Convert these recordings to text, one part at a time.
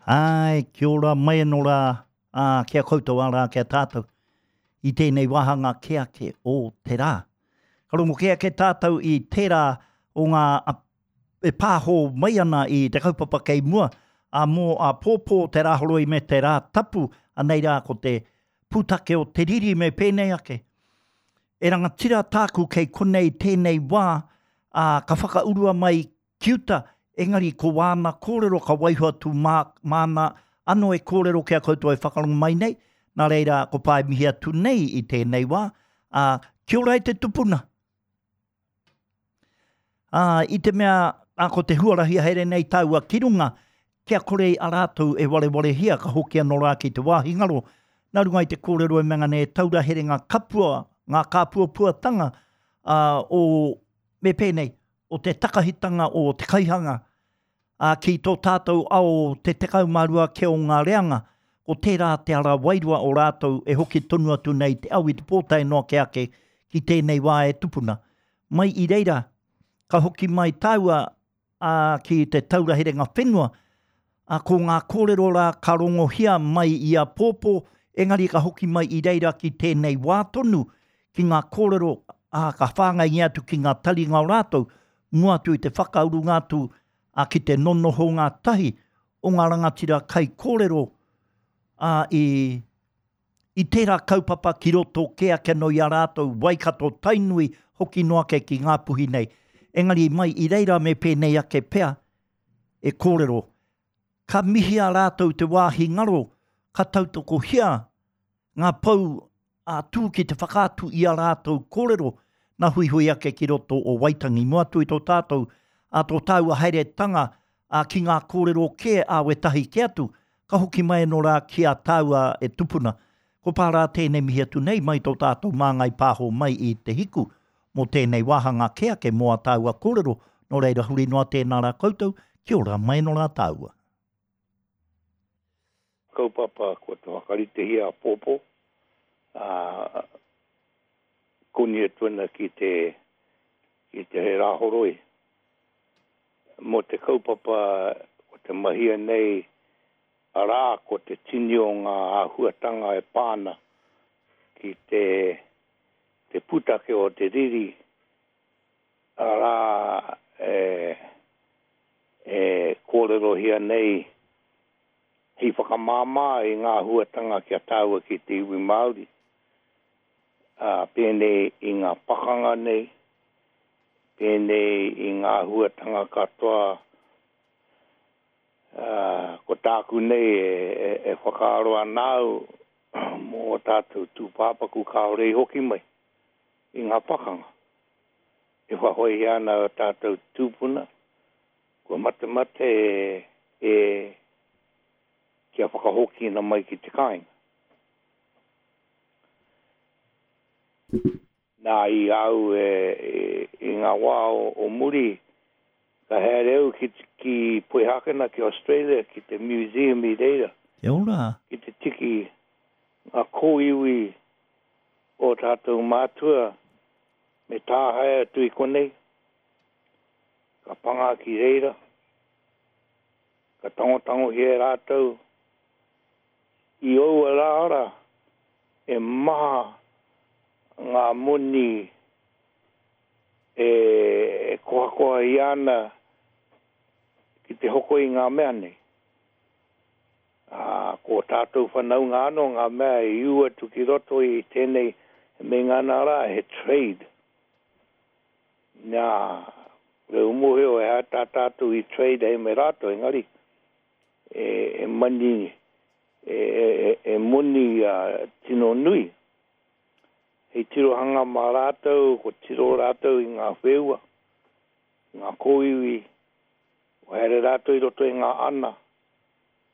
Āe, kia ora mai anō rā, ā, ki a koutou, arā, ki a tātou, i tēnei wāhanga kē ake o te rā. Ka rongo kē ake tātou i tērā o ngā e pāho mai ana i te kaupapa kei mua, ā, mō āpōpō te Rāhoroi me te Rātapu, anei rā ko te pūtake o te riri me pēnei ake. E rangatira tāku kei konei tēnei wā, ā, ka whakaurua mai ki uta, engari ko wāna kōrero ka waiho atu mā, māna anō e kōrero ki a koutou e whakarongo mai nei, nā reira ko Pae mihi atu nei i tēnei wā, ā, kia ora e te tupuna! Ā, i te mea, ā, ko te huarahi haere nei tāua ki runga, kia kore a rātou e warewarehia, ka hoki anō rā ki te wāhi ngaro, nā runga i te kōrero e mea nei e taura here ngā kapua, ngā kāpuapuatanga, ā, o, me pēnei, o te takahitanga o te kaihanga, ā, ki tō tātou ao te 12 kē o ngā reanga, ko tērā te ara wairua o rātou e hoki tonu atu nei te au i te pō tae noa ke ake ki tēnei wā e tupuna. Mai i reira, ka hoki mai tāua, ā, ki te taura herenga whenua, ā, ko ngā kōrero rā ka rongohia mai i a Pōpō, engari ka hoki mai i reira ki tēnei wā tonu, ki ngā kōrero, ā, ka whāngaingia atu ki ngā taringa o rātou, mua atu i te whakaurunga atu, ā, ki te nonohonga tahi o ngā rangatira kaikōrero, ā, i, i tērā kaupapa ki roto kē ake anō i a rātou, Waikato, Tainui, hoki noa ake ki Ngāpuhi nei. Engari mai i reira me pēnei ake pea e kōrero. Ka mihia rātou te wāhi ngaro, ka tautokohia ngā pou ā-tū ki te whakaatu i a rātou kōrero, nā huihui ake ki roto o Waitangi. Mua atu i tō tātou, ā tō tāua haeretanga ā, ki ngā kōrero kē ā wētahi kē atu, ka hoki mai anō rā ki a tāua e tupuna. Ko pā rā tēnei mihi atu nei mai tō tātou Māngai Pāho mai i Te Hiku mō tēnei wāhanga kē ake mō ā tāua kōrero, nō reira huri noa tēnā rā koutou, kia ora mai anō rā tāua. Kaupapa kua te whakaritehia a Pōpō, ā, koni atu ana ki te, ki te Rāhoroi. Mō te kaupapa ko te mahia nei, arā, ko te tini o ngā āhuatanga e pā ana ki te, te pūtake o te riri, arā, e, e kōrerohia nei hei whakamāmā i ngā āhuatanga ki a tāua ki te iwi Māori, ā, pēnei i ngā pakanga nei, pēnei i ngā āhuatanga katoa, ā, ko tāku nei e, e whakaaro ana au mō ō tātou tūpāpaku kāore i hoki mai i ngā pakanga. E whahoehia ana ō tātou tūpuna, kua matemate e, kia whakahokina mai ki te kāinga. Nā, i a au e, i ngā wā o, o muri, ka haere au ki, ki Poihākena, ki Australia, ki te museum i reira. Kia ora. Ki te tiki ngā kōiwi o tātou mātua me tāhae atu i konei. Ka panga ki reira, ka tangotangohia e rātou I aua rā rā, e maha ngā moni e kohakohahia ana ki te hoko i ngā mea nei. Ā, ko ō tātou whanaunga anō ngā mea i ū atu ki roto i tēnei e meinga ana rā he trade. Nā, kore u mōhio he aha tā tātou i trade ai me rātou, engari e mani, e moni tino nui. Hei tirohanga mā rātou, ko tiro rātou i ngā wheua, i ngā kōiwi, ko haere rātou i roto i ngā ana,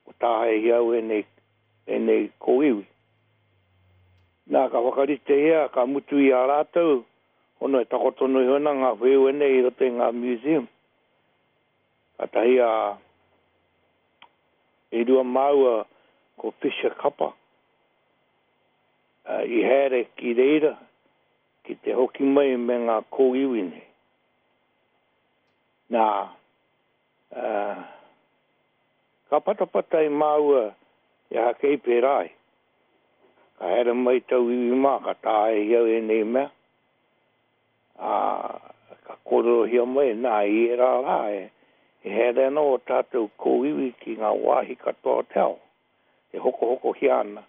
ko tāhaehia au ēnei, ēnei kōiwi. Nā, ka whakaritehia, ka mutu i a rātou, hono e takoto noa iho ana ngā wheua nei i roto i ngā museum. Kātahi a e rua māua ko Fisher Kapa i haere ki reira ki te hoki mai me ngā kōiwi nei. Nā, Ka patapatai māua he aha kei pērā ai. Ka haere mai tauiwi mā, ka taea i au ēnei mea, ā, ka kōrerohia mai, nā, i ērā rā e, e haere ana ō tātou kōiwi ki ngā wāhi katoa o te ao, e hokohokohia ana,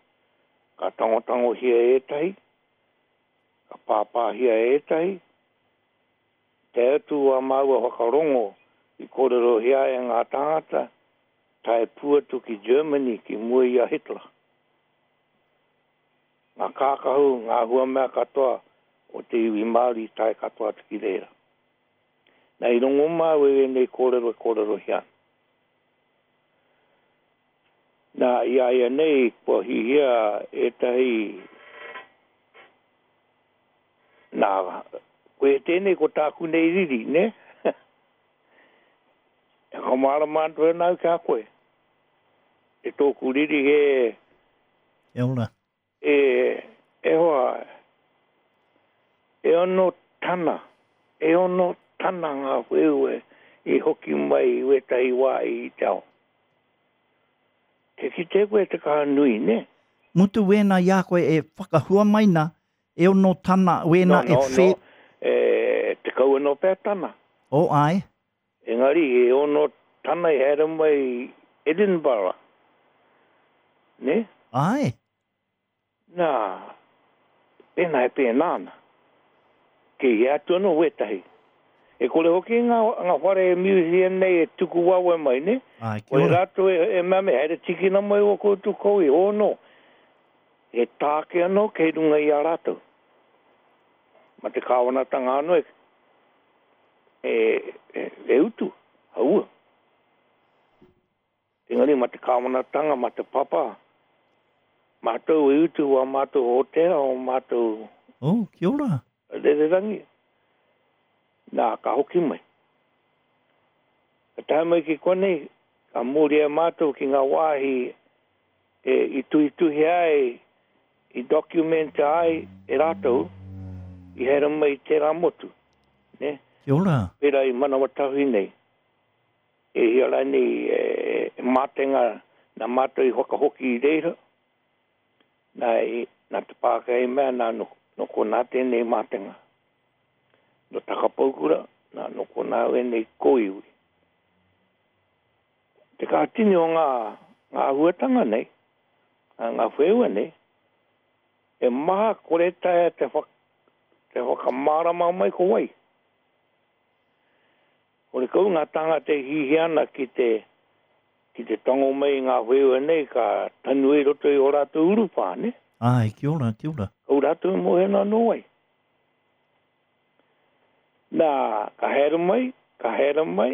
ka tangotangohia ētahi, ka pāpāhia ētahi, Tae atu ā māua whakarongo i kōrerohia e ngā tāngata, tae pū atu ki Germany ki mua i a Hitler. Ngā kākahu, ngā huamea katoa o te iwi Māori tae katoa atu ki reira. Nā, i rongo māua i ēnei kōrero e kōrerohia ana. Nā, i a ia nei kua hihia ētahi Nā, koe tēnei ko tāku nei riri, nē? E whakamārama atu ana au ki a koe. E tōku riri he... Kia ora. E, e hoa, e ono tana, e ono tana ngā wheue i hoki mai i wētahi wā i te ao. Te kite koe te kaha nui, nē? Mutu wēnā i a koe e whakahua mai nā, E ono tana, wēnā e whē. No, no, e 10 anō pea tana. Oh, āe. Engari, e ono tana i haere mai i Edinburgh. Nē? Āe. Nā, pēnā e pēnā ana. Kei hea atu anō wētahi. E kore hoki ngā, ngā whare e museum nei e tuku wawe mai, nē? Āe, kia Kore ora. rātou e, e mea mai, haere tīkina mai ō koutou koi, oh no. He tāke anō kei runga i a rātou. Ma te kāwanatanga anō e, e, e, e utu, haua. Engari ma te kāwanatanga, ma te papa, mātou e utu wā mātou hōtēra, o mātou... Oh, kia ora. Rererangi. Nā, ka hoki mai. Ka tae mai ki konei, ka mōria mātou ki ngā wāhi e i tuhituhia ai, i documenta ai e rātou i haere mai i tērā motu, nē? Kia ora. Pērā i Manawatahui nei, e hia rānei e, e mātenga nā mātou i whakahoki i reira, nā, i, nā te Pākehā i mea, nā, no, no konā tēnei mātenga. No Takapaukura, nā, no konā wēnei kōiwi. Te kaha tini o ngā, ngā āhuatanga nei, ngā wheua nei, e maha kore taea te, wha, te whakamārama mai ko wai. Horekau ngā tāngata e hihia ana ki te, ki te tango mai i ngā wheua nei ka tanu i roto i ō rātou urupā, ne? Āe, kia ora, kia ora. Kau rātou e mōhio ana nō wai. Nā, ka haere mai, ka haere mai,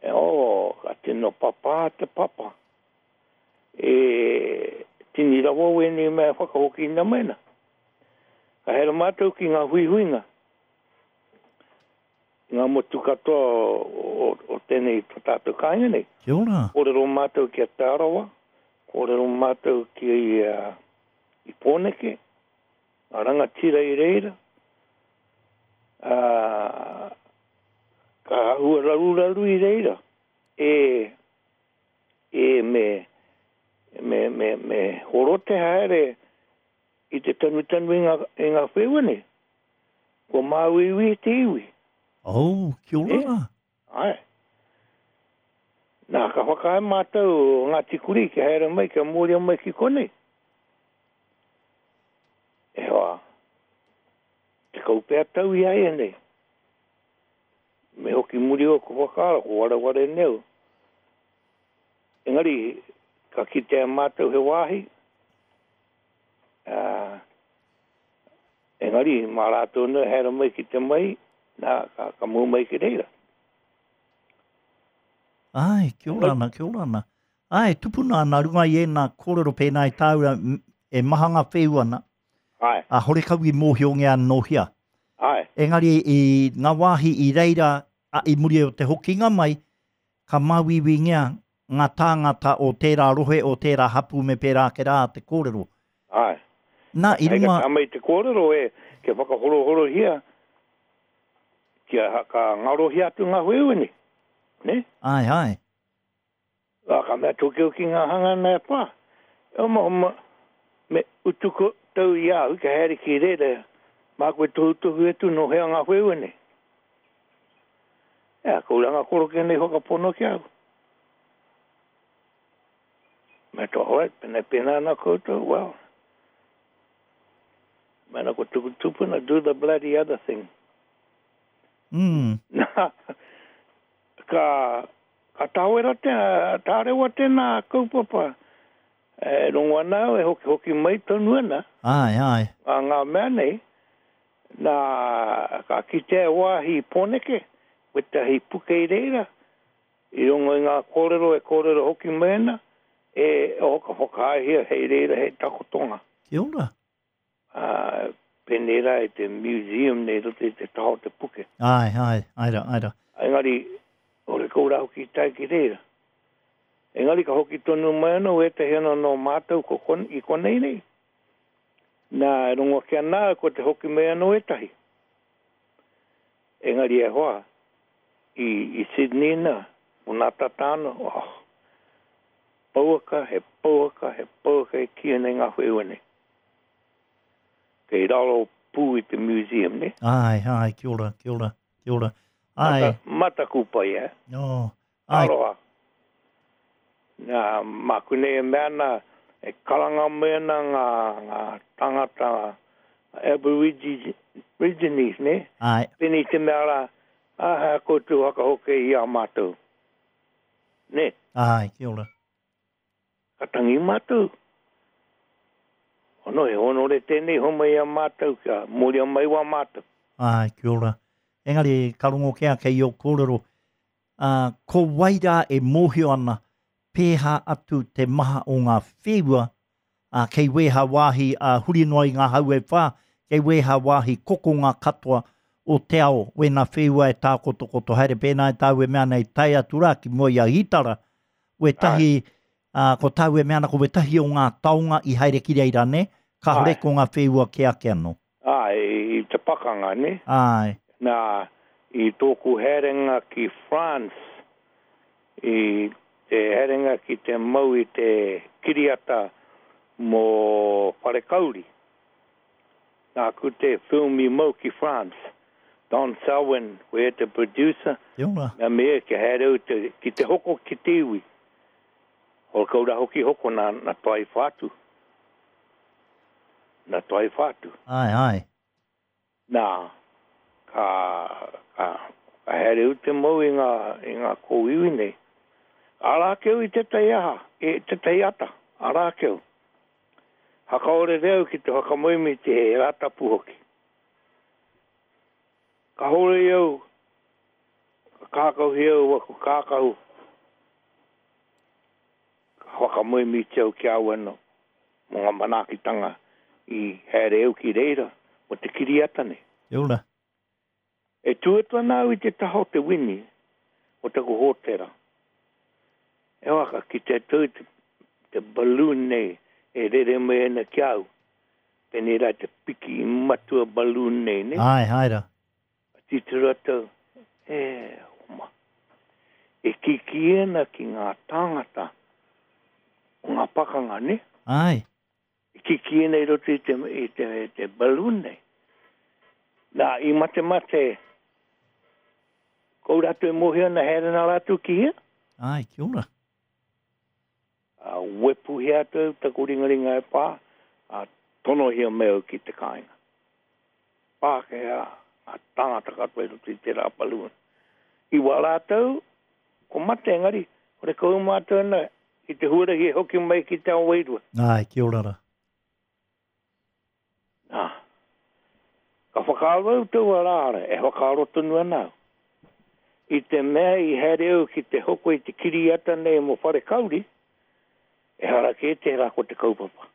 E oh, ka tino papā te papa. E tini rawa wēnei mea e whakahokina mai ana. Ka haere mātou ki ngā huihuinga, i ngā motu katoa o, o, o tēnei to tātou kāinga nei. Kia ora. Kōrero mātou ki a Te Arawa, kōrero mātou ki uh, i Pōneke, ngā rangatira i reira, ā, ka āhua raruraru i reira, e, e, me, me, me, me horo te haere i te tanutanu i ngā, i ngā wheua nei. Kua māuiui te iwi. Oh, kia ora rā. Āe. Nā, ka whakaae mātou o Ngāti Kurī kia haere mai, kia mōria mai ki konei. E hoa, 10 pea tau i āianei. Me hoki muri ōku whakaaro, ko wareware nei au. Engari, ka kitea mātou he wāhi, ā, engari, mā rātou nei haere mai ki te mai, nā, ka, ka mū mai ki reira. Āe, kia ora ana, kia ora ana. Āe, tupuna ana runga i ēnā kōrero pēnā i tāu rā, e maha ngā wheu ana. Āe. Ā, horekau i mōhiongia nō hea. Āe. Engari i ngā wāhi i reira, a, i muri o te hokinga mai, ka māuiuingia ngā tāngata o tērā rohe, o tērā hapū me pērā ake rā te kōrero. Āe. Nā, i Hei runga. ka tā mai te kōrero e, kia whakahorohorohia, kia, ka ngarohia atu ngā wheu nei. Nē? Āe, āe. Ā, ka mea tokioki ngā hanga nei e pā. E oma oma, me utu koutou i a au kia haere ki reira, māku e tohutohu atu nō hea ngā wheua nei. Ea, ko uranga koroke nei whakapono ki au. Mea toa, alright, pena pena ana koutou, well, mena ko tuku tupuna, do the bloody other thing. Mm. Nā, ka, ka tāwera te, tārewa tēnā kaupapa, e rongo ana au e hokihoki mai tonu ana. Āe, āe. Ngā, ngā mea nei, nā, ka kitea e wāhi i Pōneke, wētahi puke i reira, i rongo i ngā kōrero e kōrero hoki mai ana, e, oh, ka whakaaehia hei reira hei takotonga. Kia ora. Ā, pēnei rā i te museum nei i roto i te taha o te puke. Āe, āe, āe rā, āe rā. Engari, ore kou rā hoki i tae ki reira. Engari ka hoki tonu mai anō wētahi anō nō mātou ko kon, i konei nei. Nā, e rongo ake ana au ko te hoki mai anō ētahi. Engari e hoa, i, i Sydney nā, ko nā tata anō, oh, pouaka, he pouaka, he pouaka e kīia nei ngā wheua nei. Kei raro pū i te museum, ne? Āe, āe, kia ora, kia ora, kia ora. Āe. Mata, mataku pai, eh? Oh, āe. Aroha. Nā, māku nei e mea ana, e karanga mai ana ngā, ngā tangata Aborigines, ne? Āe. Pēnei te mea rā, aha koutou whakahoke i a mātou. Ne? Āe, kia ora. Ka tangi mātou. Ono, he honore tēnei homai i a mātou kia moria mai wā mātou. Āe, kia ora. Engari, ka rongo kē ake i ō kōrero, ā, ko wai rā e mōhio ana pēhā atu te maha o ngā wheua, ā, kei wēhā wāhi, ā, huri noa i ngā hau e whā, kei wēhā wāhi kokonga katoa o te ao, wēnā wheua e tākotokoto haere, pēnā i tāu e mea nei, tae atu rā ki mua i a Hītara, wētahi, ā, ko tāu e mea ana ko wētahi o ngā taonga i haere ki reira, nē? Kāore ko ngā wheua kē ake anō. Āe, i te pakanga, nē? Āe. Nā, i tōku haerenga ki France, i te haerenga ki te mau i te kiriata mō Wharekauri, Nāku te film i mau ki France. Don Selwyn, ko ia te producer. Kia ora. Mea me ia kia haere au te, ki te hoko ki te iwi. Hora kau ra hoki hoko na, na Toi Whātu. Na Toi Whātu. Ae, ae. Nā, ka, ka, ka haere au te mau i ngā, i ngā kōiwi nei. Arā ake au i tētahi aha, i tētahi ata, arā ake au. Hakaorere au ki te whakamoemiti he Rātapu hoki. Ka horoi au, ka kākahuhia au aku kākahu, ka whakamoemiti au ki a au anō mō ngā manaakitanga i haere au ki reira mō te kiriata nei. Kia ora. E tū atu ana au i te taha o te wini o taku hōtera. E hoa, ka kite atu au i te, te balloon nei e rere mai ana ki a au. Pēnei rā te piki matua balloon nei, nē? Āe, āe rā. Ka titiro atu au, e homa. E kīkī ana ki ngā tāngata o ngā pakanga, nē? Āe. I kikī nei roto i te, i te, te balloon nei. Nā, i matemate, kou rātou e mōhio ana haere nā rātou ki hea? Ai, kia ora. A, wepuhia atu au taku ringaringa e pā, a, tonohia mai au ki te kāinga. Pākehā, ngā tāngata katoa i roto i tērā balloon. I wā rātou, ko mate engari, horekau mātou ana i te huarahi e hoki mai ki te ao wairua. Āe, kia ora rā. Nā, ka whakaaro au taua rā, e whakaaro tonu ana au. I te mea i haere au ki te hoko i te kiriata nei mō Wharekauri, ehara kē tērā ko te kaupapa.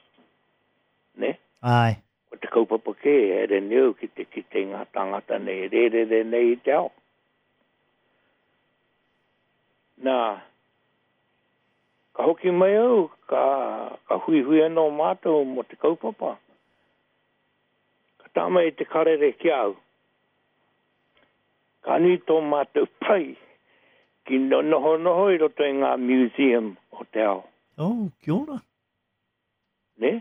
Nē? Āe. Ko te kaupapa kē, haere nei au ki te kite i ngā tāngata nei e rērere nei i te ao. Nā, ka hoki mai au, ka, ka huihui anō mātou mō te kaupapa. Ka tā mai te karere ki a au. Ka nui tō mātou pai ki nohonoho i roto i ngā museum te ao. Oh, kia ora. Nē?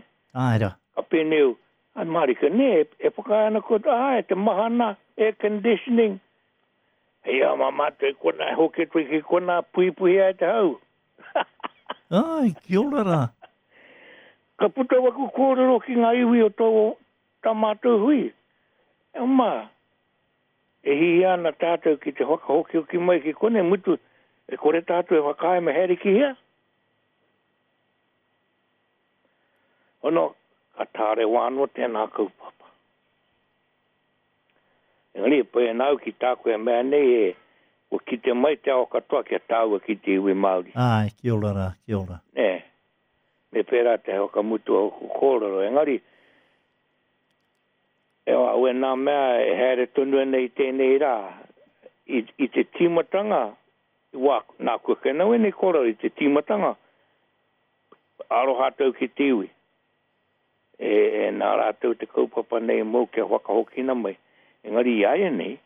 Āe rā. Ka pēnei au, Ai mārika, nē, e whakaae ana koutou, āe, te mahana, air conditioning. Hei aha mā mātou i konā, e hoki atu ai ki konā, puhipuhi ai te hau. Āe, kia ora rā. Ka puta waku kōrero ki ngā iwi o tō tā mātou hui. E oma, e hihia ana tātou ki te whakahokihoki mai ki konei, mutu, e kore tātou e whakaae me haere ki hea? Ono, ka tārewa anō tēnā kaupapa. Engari, e pai ana au ki tāku e mea nei e, kua kite mai te ao katoa kia tāua ki te iwi Māori. Āe, kia ora rā, kia ora. Nē, me pērā te whakamutu o aku kōrero, engari, e hoa, wēnā mea e haere tonu ana i tēnei rā, i, i te tīmatanga, wā, nāku ake ana wēnei kōrero, i te tīmatanga, aroha atu ki te iwi, e, e nā rātou te kaupapa nei mōu kia whakahokina mai. Engari i āianei,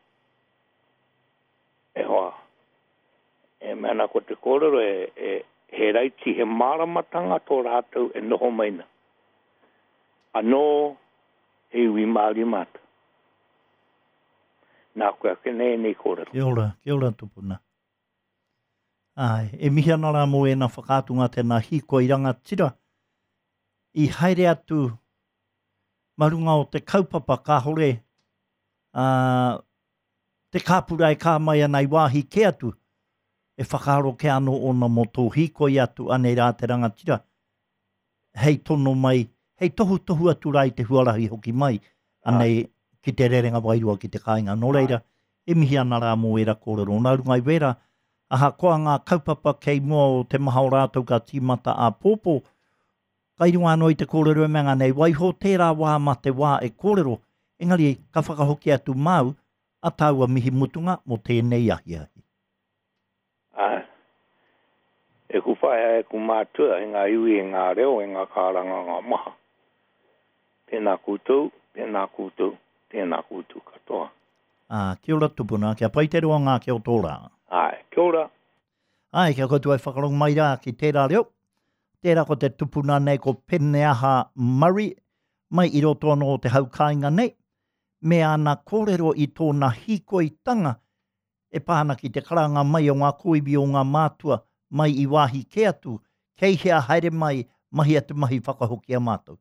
e hoa, e mea ana ko te kōrero e, e, he raiti, he māramatanga tō rātou e noho mai na. Anō, he iwi Māori mātou. Nā koe ake nei ēnei kōrero. Kia ora, kia ora tupuna. Āe, e mihi ana rā mō ēnā whakaatunga tēnā hīkoi rangatira i haere atu ma runga o te kaupapa kāhore ā, te kāpura e kā mai ana i wāhi kē atu e whakaaro kē anō ōna mō tō hīkoi atu anei rā te rangatira hei tono mai, hei tohutohu atu rā i te huarahi hoki mai, anei ki te rerenga wairua ki te kāinga. Nō reira, e mihi ana rā mō ērā kōrero. Nā runga i wērā, ahakoa ngā kaupapa kei mua o te maha o rātou ka tīmata āpōpō, kai runga anō i te kōrero e mea nei, waiho tērā wā mā te wā e kōrero, engari ka whakahoki atu māu a tāua mihi mutunga mō tēnei ahiahi. Ā, e ku whaea, e ku mātua, e ngā iwi, e ngā reo, e ngā kāranganga maha. Tēnā koutou, tēnā koutou, tēnā koutou katoa. Ā, kia ora tupuna, kia pai te roanga ake o tō rā. Āe, kia ora. Āe, kia koutou e whakarongo mai rā ki tērā reo. Tērā ko te tupuna nei ko Peneaha Murray, mai i roto anō o te hau kāinga nei, me ana kōrero i tōna hīkoitanga e pā ana ki te karanga mai o ngā kōiwi o ngā mātua mai i wāhi kē atu, kei hea haere mai, mahia te mahi whakahoki a mātou.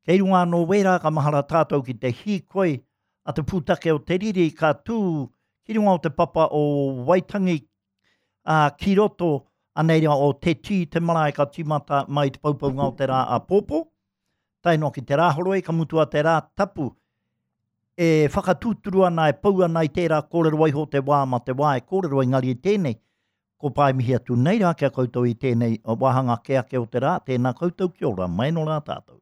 Kei runga anō wērā ka mahara tātou ki te hīkoi a te pūtake o te riri ka tū ki runga o te papa o Waitangi, ā, ki roto anei rā o Te Tī te marae ka tīmata mai te poupounga o te rā āpōpō, tae noa ki te Rāhoroi ka mutu a te Rā Tapu e whakatūturu ana, e pou ana i tērā kōrero waiho te wā ma te wā e kōrero engari i tēnei, ko pae mihi atu nei rā ki a koutou i tēnei wāhanga ake ake o te rā, tēnā koutou kia ora, mai nō rā tātou.